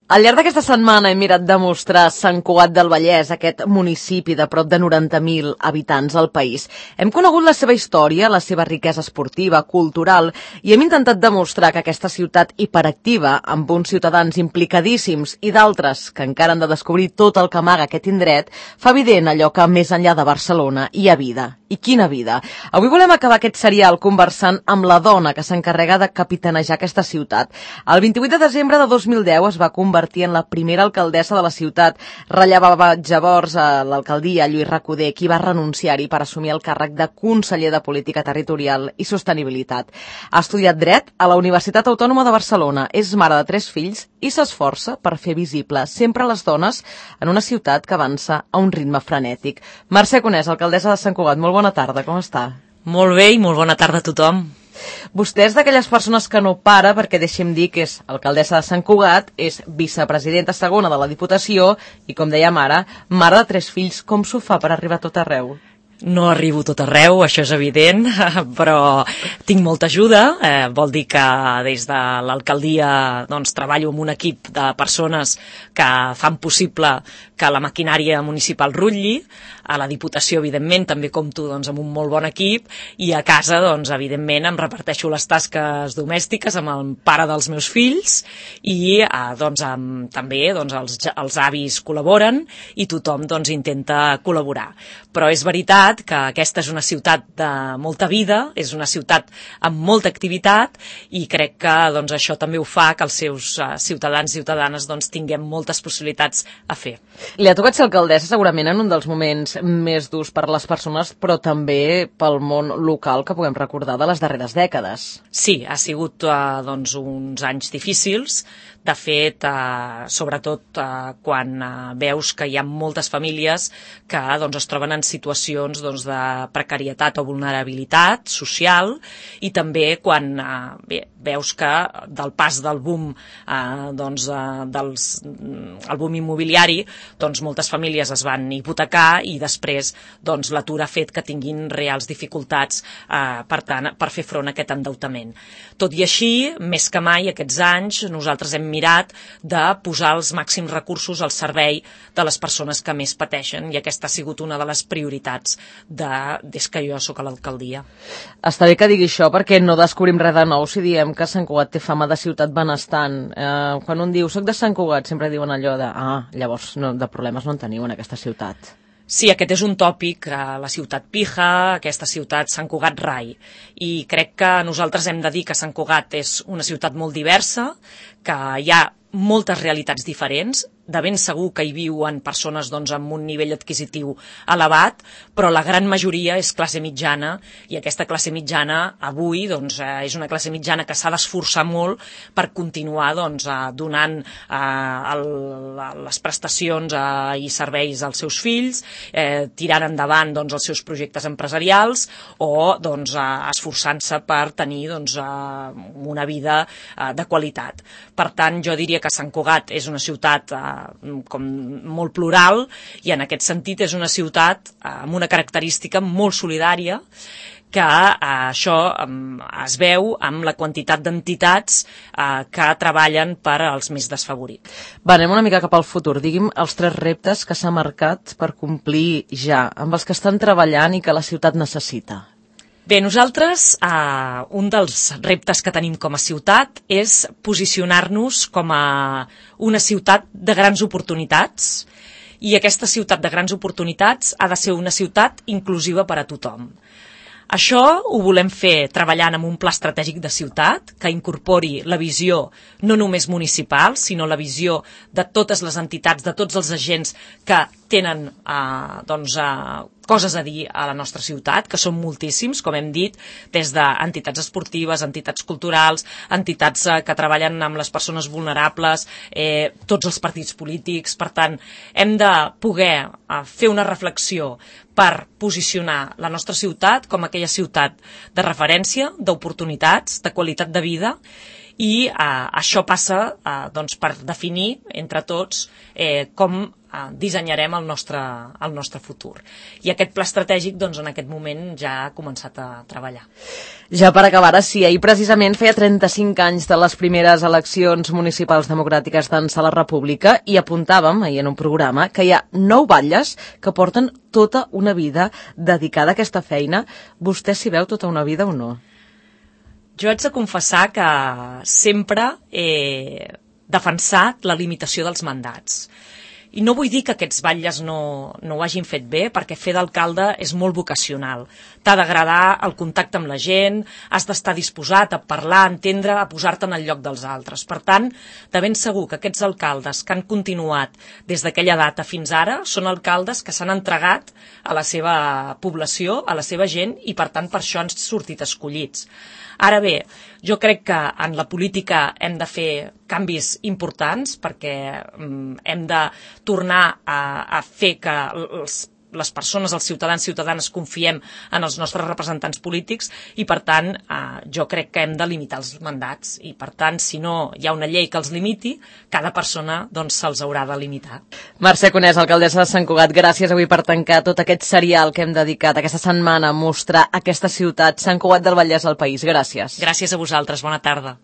Al llarg d'aquesta setmana hem mirat de mostrar Sant Cugat del Vallès, aquest municipi de prop de 90.000 habitants al país. Hem conegut la seva història, la seva riquesa esportiva, cultural, i hem intentat demostrar que aquesta ciutat hiperactiva, amb uns ciutadans implicadíssims i d'altres que encara han de descobrir tot el que amaga aquest indret, fa evident allò que més enllà de Barcelona hi ha vida. I quina vida! Avui volem acabar aquest serial conversant amb la dona que s'encarrega de capitanejar aquesta ciutat. El 28 de desembre de 2010 es va convertir en la primera alcaldessa de la ciutat. Rellevava llavors a l'alcaldia Lluís Recoder, qui va renunciar-hi per assumir el càrrec de conseller de Política Territorial i Sostenibilitat. Ha estudiat dret a la Universitat Autònoma de Barcelona, és mare de 3 fills i s'esforça per fer visible sempre les dones en una ciutat que avança a un ritme frenètic. Mercè Conés, alcaldessa de Sant Cugat, molt bona tarda, com està? Molt bé i molt bona tarda a tothom. Vostè és d'aquelles persones que no para, perquè deixi'm dir que és alcaldessa de Sant Cugat, és vicepresidenta segona de la Diputació i, com dèiem ara, mare de 3 fills. Com s'ho fa per arribar a tot arreu? No arribo tot arreu, això és evident, però tinc molta ajuda. Vol dir que des de l'alcaldia treballo amb un equip de persones que fan possible que la maquinària municipal rutlli. A la Diputació, evidentment, també compto amb un molt bon equip, i a casa, evidentment, em reparteixo les tasques domèstiques amb el pare dels meus fills, i també els avis col·laboren i tothom intenta col·laborar. Però és veritat que aquesta és una ciutat de molta vida, és una ciutat amb molta activitat, i crec que això també ho fa que els seus ciutadans i ciutadanes tinguem moltes possibilitats a fer. Li ha tocat ser alcaldessa segurament en un dels moments més durs per a les persones, però també pel món local que puguem recordar de les darreres dècades. Sí, ha sigut uns anys difícils. De fet, sobretot quan veus que hi ha moltes famílies que es troben en situacions de precarietat o vulnerabilitat social, i també quan veus que del pas del boom el boom immobiliari, moltes famílies es van hipotecar, i després l'atur ha fet que tinguin reals dificultats per fer front a aquest endeutament. Tot i així, més que mai aquests anys, nosaltres hem mirat de posar els màxims recursos al servei de les persones que més pateixen, i aquesta ha sigut una de les prioritats des que jo sóc a l'alcaldia. Està bé que digui això, perquè no descobrim res de nou si diem que Sant Cugat té fama de ciutat benestant. Quan un diu soc de Sant Cugat, sempre diuen allò de llavors de problemes no en teniu en aquesta ciutat. Sí, aquest és un tòpic, la ciutat pija, aquesta ciutat Sant Cugat rai, i crec que nosaltres hem de dir que Sant Cugat és una ciutat molt diversa, que hi ha moltes realitats diferents. De ben segur que hi viuen persones amb un nivell adquisitiu elevat, però la gran majoria és classe mitjana, i aquesta classe mitjana avui és una classe mitjana que s'ha d'esforçar molt per continuar donant les prestacions i serveis als seus fills, tirant endavant els seus projectes empresarials, o esforçant-se per tenir una vida de qualitat. Per tant, jo diria que Sant Cugat és una ciutat com molt plural, i en aquest sentit és una ciutat amb una característica molt solidària, que això es veu amb la quantitat d'entitats que treballen per als més desfavorits. Anem una mica cap al futur. Digui'm els 3 reptes que s'ha marcat per complir ja, amb els que estan treballant i que la ciutat necessita. Bé, nosaltres, un dels reptes que tenim com a ciutat és posicionar-nos com a una ciutat de grans oportunitats, i aquesta ciutat de grans oportunitats ha de ser una ciutat inclusiva per a tothom. Això ho volem fer treballant amb un pla estratègic de ciutat que incorpori la visió no només municipal, sinó la visió de totes les entitats, de tots els agents que tenen coses a dir a la nostra ciutat, que són moltíssims, com hem dit, des d'entitats esportives, entitats culturals, entitats que treballen amb les persones vulnerables, tots els partits polítics. Per tant, hem de poder fer una reflexió per posicionar la nostra ciutat com aquella ciutat de referència, d'oportunitats, de qualitat de vida, i això passa per definir entre tots com dissenyarem el nostre futur. I aquest pla estratègic, doncs, en aquest moment ja ha començat a treballar. Ja per acabar, sí, ahir precisament feia 35 anys de les primeres eleccions municipals democràtiques d'ençà la República i apuntàvem, ahir en un programa, que hi ha 9 batlles que porten tota una vida dedicada a aquesta feina. Vostè s'hi veu tota una vida o no? Jo haig de confessar que sempre he defensat la limitació dels mandats. I no vull dir que aquests batlles no ho hagin fet bé, perquè fer d'alcalde és molt vocacional. T'ha d'agradar el contacte amb la gent, has d'estar disposat a parlar, a entendre, a posar-te en el lloc dels altres. Per tant, de ben segur que aquests alcaldes que han continuat des d'aquella data fins ara són alcaldes que s'han entregat a la seva població, a la seva gent, i per tant per això han sortit escollits. Ara bé, jo crec que en la política hem de fer canvis importants perquè hem de tornar a fer que les persones, els ciutadans, ciutadanes, confiem en els nostres representants polítics i, per tant, jo crec que hem de limitar els mandats i, per tant, si no hi ha una llei que els limiti, cada persona doncs se'ls haurà de limitar. Mercè Conés, alcaldessa de Sant Cugat, gràcies avui per tancar tot aquest serial que hem dedicat aquesta setmana a mostrar aquesta ciutat, Sant Cugat del Vallès al país. Gràcies. Gràcies a vosaltres, bona tarda.